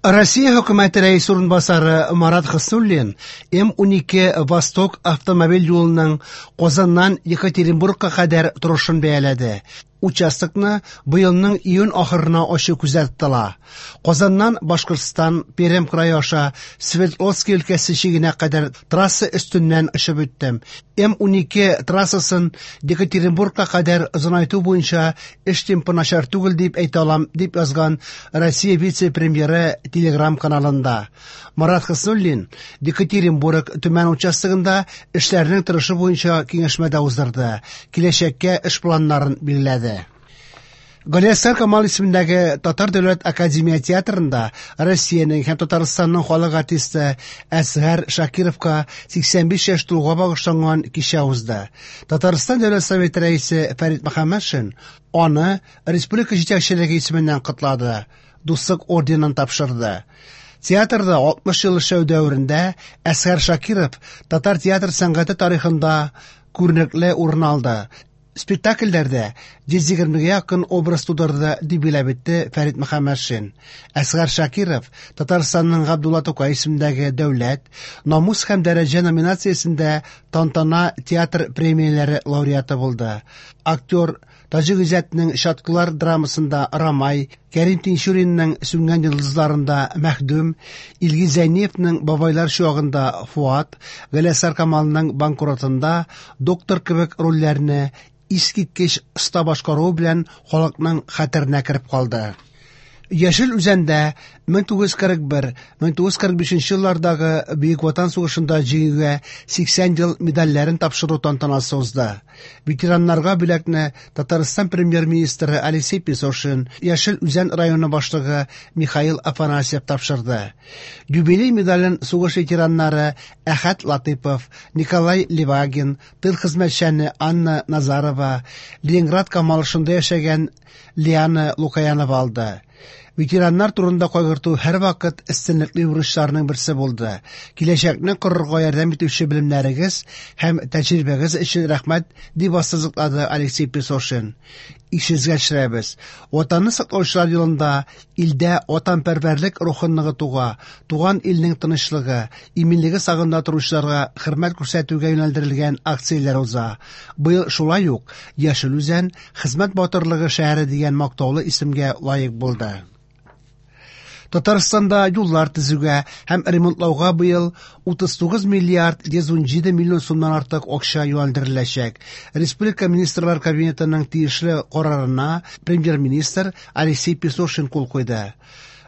Россия хөкүмәте рәисе урынбасары Марат Хөснуллин М-12 Восток автомобиль юлының Казаннан Екатеринбургка кадәр торышын бәяләде. Участокны быелның июнь ахырына ачу күздә тотыла. Казаннан Башкортстан, Пермь крае аша Свердловский өлкәсе чигенә кадәр трасса өстеннән очып үттем. М-12 трассасын Екатеринбургка кадәр озынайту буенча эш темпы начар түгел дип әйтә алам, дип язган Россия вице-премьеры Телеграм-каналында. Марат Хөснуллин Екатеринбург Төмән участогында эшләрнең торышы буенча киңәшмә дә уздырды. Киләчәккә эш планнарын билгеләде. Галиәсгар Камал исемендәге Татар дәүләт академия театрында Россиянең һәм Татарстанның халык артисты Әсгар Шакировка 85 яшь тулуга багышланган кичә узды. Татарстан Дәүләт Советы рәисе Фәрит Мөхәммәтшин аны республика җитәкчелеге исеменнән котлады, Дуслык орденын тапшырды. Театрда 60 ел эшләү дәверендә Әсгар Шакиров татар театр сәнгате тарихында күренекле урын алды. Спектакльләрдә 120-гә якын образ тудырды, дип билгеләп үтте Фәрит Мөхәммәтшин. Әсгар Шакиров Татарстанның Габдулла Тукай исемендәге дәүләт, намус һәм дәрәҗә номинациясендә Тантана театр премияләре лауреаты булды. Актер Таҗи Гыйззәтнең Чаткылар драмасында Рамай, Кәрим Тинчуринның Сүнгән йолдызларында Мәхдүм, Илгиз Зәйниевның Бабайлар чуагында Фуат, Галиәсгар Камалның Банкротында доктор кебек рольләрне искиткеч оста башкаруы белән халыкның хәтеренә кереп калды. Яшел Үзәндә 1941-1945 еллардагы Бөек Ватан сугышында җиңүгә 80 ел медальләрен тапшыру тантанасы узды. Ветераннарга бүләкне Татарстан премьер-министры Алексей Песошин, Яшел Үзән районы башлыгы Михаил Афанасьев тапшырды. Юбилей медален сугыш ветераннары Әхәт Латыпов, Николай Левагин, тыл хезмәтчәне Анна Назарова, Ленинград камалышында яшәгән Лиана Лукаянова алды. Ветераннар турында кайгырту һәрвакыт өстенлекле бурычларның берсе булды. Киләчәкне корырга ярдәм итүче белемнәрегез һәм тәҗрибәгез өчен рәхмәт, дип ассызыклады Алексей Песошин. Исегезгә төшерәбез, Ватанны саклаучылар елында илдә ватанпәрвәрлек рухын ныгытуга, туган илнең тынычлыгы, иминлеге сагында торучыларга хөрмәт күрсәтүгә юнәлдерелгән акцияләр уза. Быел шулай ук Яшел Үзән Хезмәт батырлыгы шәһәре дигән мактаулы исемгә лаек булды. Татарстанда юллар төзүгә һәм ремонтлауга быел 39 миллиард 117 миллион сумнан артык акча юнәлдереләчәк. Республика Министрлар Кабинетының тиешле карарына премьер-министр Алексей Песошин кул куйды.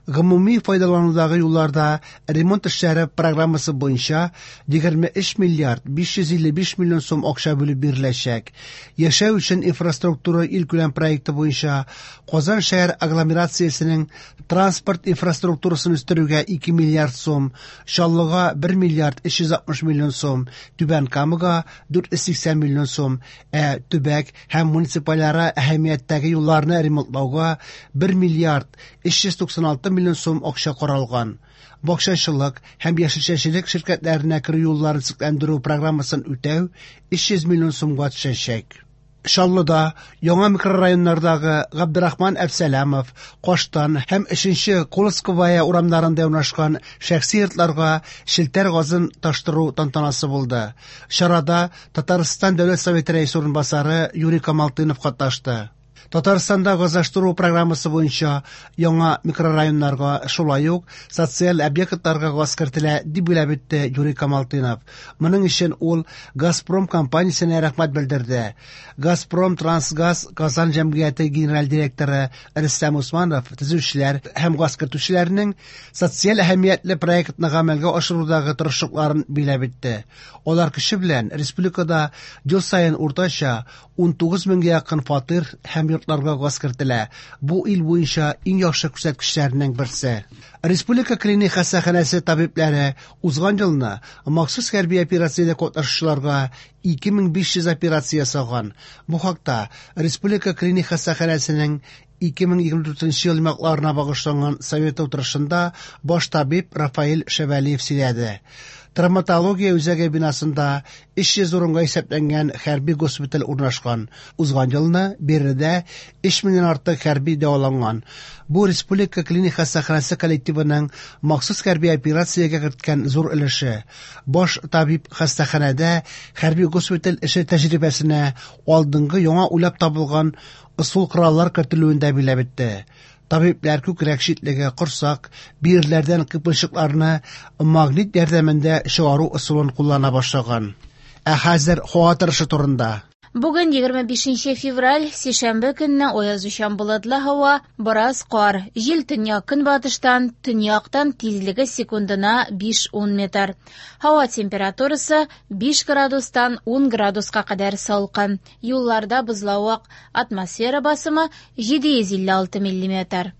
Гомуми файдаланудагы юлларда ремонт эшләре программасы буенча 23 миллиард 555 миллион сум акча бүлеп биреләчәк. Яшәү өчен инфраструктура илкүләм проекты буенча Казан шәһәр агломерациясенең транспорт инфраструктурасын үстерүгә 2 миллиард сум, Чаллыга 1 миллиард 360 миллион сум, Түбән Камага 480 миллион сум, ә төбәк һәм муниципальара әһәмияттәге юлларны ремонтлауга 1 миллиард 396 миллион сум акча каралган. Бакчачылык һәм яшелчәчелек ширкәтләренә керү юлларын төзекләндерү программасын үтәү 300 миллион сумга төшәчәк. Чаллыда яңа микрорайоннардагы Габдрахман Әбсәләмов, Каштан һәм 3нче Колосковая урамнарында урнашкан шәхси йортларга челтәр газын таштыру тантанасы булды. Чарада Татарстан Дәүләт Советы рәисе урынбасары Юрий Камалтынов катнашты. Татарстанда газлаштыру программасы буенча яңа микрорайоннарга, шулай ук социаль объектларга газ кертелә, дип билгеләп үтте Юрий Камалтынов. Моның өчен ул Газпром компаниясенә рәхмәт белдерде. Газпром Трансгаз Казан җәмгыяте генераль директоры Рөстәм Усманов төзүчеләр һәм газ кертүчеләрнең социаль әһәмиятле проектны гамәлгә ашырудагы тырышлыкларын билгеләп үтте. Алар көче белән республикада ел саен уртача 19 меңгә якын фатир һәм йортларга газ кертелә. Бу ил буенча иң яхшы күрсәткечләрнең берсе. Республика клиник хастаханәсе табибләре узган елны махсус хәрби операциядә катнашучыларга 2500 операция ясаган. Бу хакта Республика клиник хастаханәсенең 2024 ел йомгакларына багышланган совет утырышында баш табиб Рафаэль Шәвәлиев сөйләде. Травматология үзәге бинасында 300 урынга исәпләнгән хәрби госпиталь урнашкан. Узган елны биредә 3 меңнән артык хәрби дәваланган. Бу республика клиник хастаханәсе коллективының махсус хәрби операциягә керткән зур өлеше. Баш табиб хастаханәдә хәрби госпиталь эше тәҗрибәсенә алдынгы яңа уйлап табылган ысул-кораллар кертелүен дә билгеләп үтте. Табибләр күкрәк читлеге, корсак, бөерләрдән кыйпылчыкларны магнит ярдәмендә чыгару ысулын куллана башлаган. Ә хәзер һава торышы турында. Бүген 25 февраль, сишәмбе көнне аязучан болытлы һава, бераз кар. Җил төньяк-көнбатыштан, төньяктан тизлеге секундына 5-10 метр. Һава температурасы 5 градустан 10 градуска кадәр салкын. Юлларда бозлавык, атмосфера басымы 756 миллиметр.